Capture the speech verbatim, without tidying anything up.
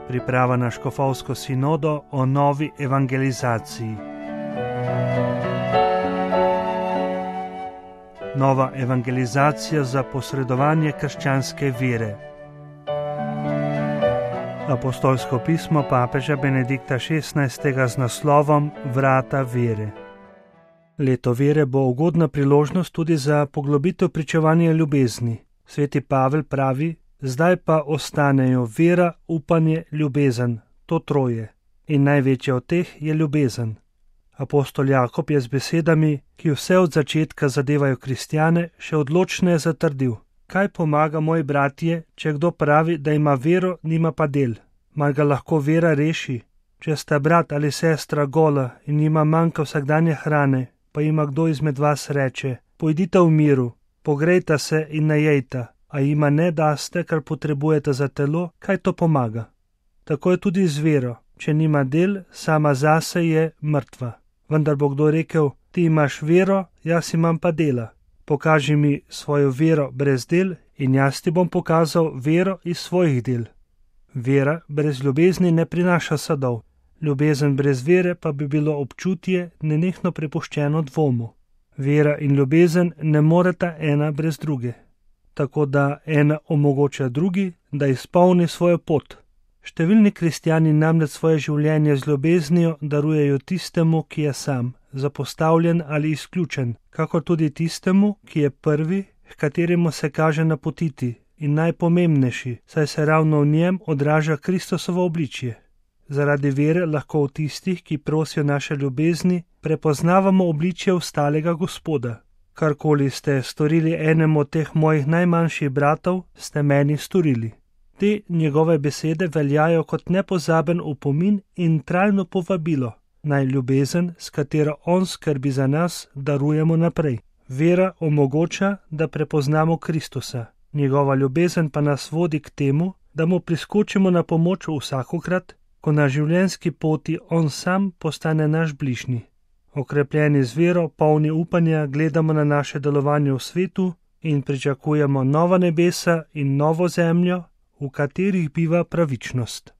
Priprava na škofovsko sinodo o novi evangelizaciji. Nova evangelizacija za posredovanje krščanske vere. Apostolsko pismo papeža Benedikta šestnajstega z naslovom Vrata vere. Leto vere bo ugodna priložnost tudi za poglobitev pričevanja ljubezni. Sveti Pavel pravi: zdaj pa ostanejo vera, upanje, ljubezen, to troje. In največja od teh je ljubezen. Apostol Jakob je z besedami, ki vse od začetka zadevajo kristjane, še odločneje zatrdil: kaj pomaga, moji bratje, če kdo pravi, da ima vero, nima pa del? Mar ga lahko vera reši? Če sta brat ali sestra gola in jima manjka vsakdanje hrane, pa jima kdo izmed vas reče: pojdite v miru, pogrejta se in najejta, a jima ne daste, kar potrebujete za telo, kaj to pomaga? Tako je tudi z vero, če nima del, sama zase je mrtva. Vendar bo kdo rekel: ti imaš vero, jaz imam pa dela. Pokaži mi svojo vero brez del in jaz ti bom pokazal vero iz svojih del. Vera brez ljubezni ne prinaša sadov, ljubezen brez vere pa bi bilo občutje nenehno prepuščeno dvomu. Vera in ljubezen ne moreta ena brez druge. Tako da ena omogoča drugi, da izpolni svojo pot. Številni kristjani namreč svoje življenje z ljubeznijo darujejo tistemu, ki je sam, zapostavljen ali izključen, kakor tudi tistemu, ki je prvi, h kateremu se kaže napotiti in najpomembnejši, saj se ravno v njem odraža Kristusovo obličje. Zaradi vere lahko v tistih, ki prosijo naše ljubezni, prepoznavamo obličje ostalega Gospoda. Karkoli ste storili enemu od teh mojih najmanjših bratov, ste meni storili. Te njegove besede veljajo kot nepozaben opomin in trajno povabilo, naj ljubezen, s katero on skrbi za nas, darujemo naprej. Vera omogoča, da prepoznamo Kristusa. Njegova ljubezen pa nas vodi k temu, da mu priskočimo na pomoč vsakokrat, ko na življenjski poti on sam postane naš bližnji. Okrepljeni z vero, polni upanja, gledamo na naše delovanje v svetu in pričakujemo nova nebesa in novo zemljo, v katerih biva pravičnost.